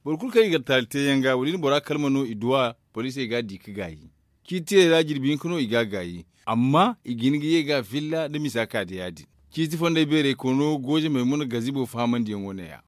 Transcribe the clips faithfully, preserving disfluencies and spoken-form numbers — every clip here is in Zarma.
Boro kulu kaŋ i ga taali te yaŋ ga wala i na bora kalma no i duw'a, poliisey ga a di ga gaayi. Ciiti tirey ra jirbi hinka no i ga a gaayi. Amma i ga hin ga ye ga a filla nda misa ka da ya- din. Ciiti fondey beeray koono gooje maymuna gazibo fahamandiyaŋo ne- ya.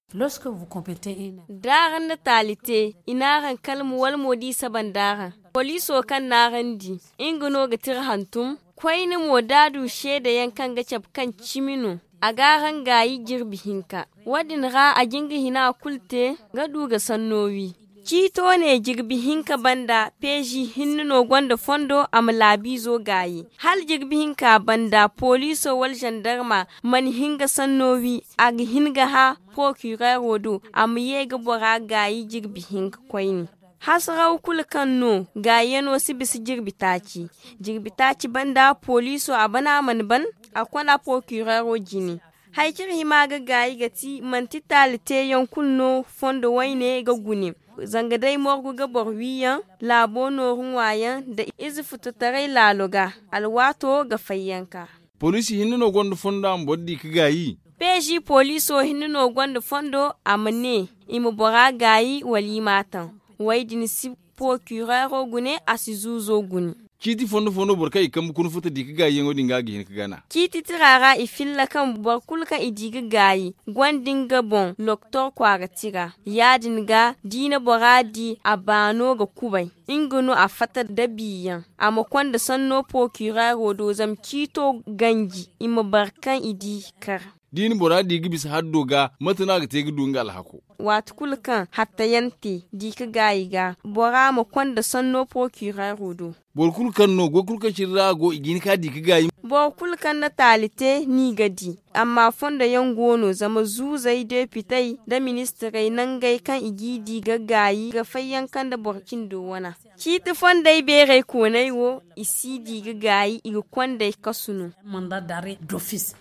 D'araŋ na taali te, i n'araŋ kalma wala mo d'i saba nd'araŋ. Poliiso kaŋ n'araŋ di, nga no ga tira hantum. Koyne mo d'a du seedayaŋ kaŋ ga cabe kaŋ cimi no, a g'araŋ gaayi jirbi hinka. Wo- din ra a jin ga hina kulu te, ga du ga sanno wi. Ciito ne jirbi hinka banda peezi hinne no gonda fondo a ma laabiizo gaayi. Hala jirbi hinka banda poliiso wala zandarma mana hin ga sanno wi, a ga hin ga hã porokireero do a ma ye ga bora gaayi jirbi hinka koyne. Hasaraw kulu kaŋ no gaayano si bisa jirbi taaci. Jirbi taaci banda poliiso a bana mana ban, a kond'a porokireero jine. Hari kaŋ iri hima ga gaayi ga ti manti taali teeyaŋ kulu no fondo wayne ga gune. Zanga day morgu ga boro wiiyaŋ, laabo nooru ŋwaayaŋ nda ize fututaray laalo ga, alwaato ga fayyanka. Poliisi hinne no gonda fondo a ma boro di ga gaayi. Peezi poliiso hinne no gonda fondo a ma ne, i ma bora gaayi wala i m'a taŋ. Wo- din si porokireero gune, a si zuuzo gune. Ciiti fondo fo no boro kaŋ i kambe kuna futa di ga gaayiyaŋo din ga a ga hin ga gana. Ciiti tira ra i filla kaŋ boro kulu kaŋ i di ga gaayi, gonda nga boŋ loktor kwaara tira. Ya-din ga d'i na bora di a baano ga kubay, nga no a fatta nda biiyaŋ. A ma konda sanno porokireero do zama ciito ganji i ma bare kaŋ i di kar. D'i na bora di ga bisa haddo ga, mate no a ga te ga du nga alhako? Waati kulu kaŋ hattayaŋ te di ga gaayi ga, bora ma konda sanno porokireero do. Boro kulu kaŋ no goy kulu kaŋ cine ra a go i ga hin ka di ga gaayi. Boro kulu kaŋ na taali te n'i ga di. Amma fondoyaŋ go no zama zuuzey depitey nda ministirey nangey kaŋ i g'i di ga gaayi ga fayyanka nda boro cindo wana. Ciiti fondey beerey kooney wo, i s'i di ga gaayi i ga kond'ey kasu no. Manda dare dofis.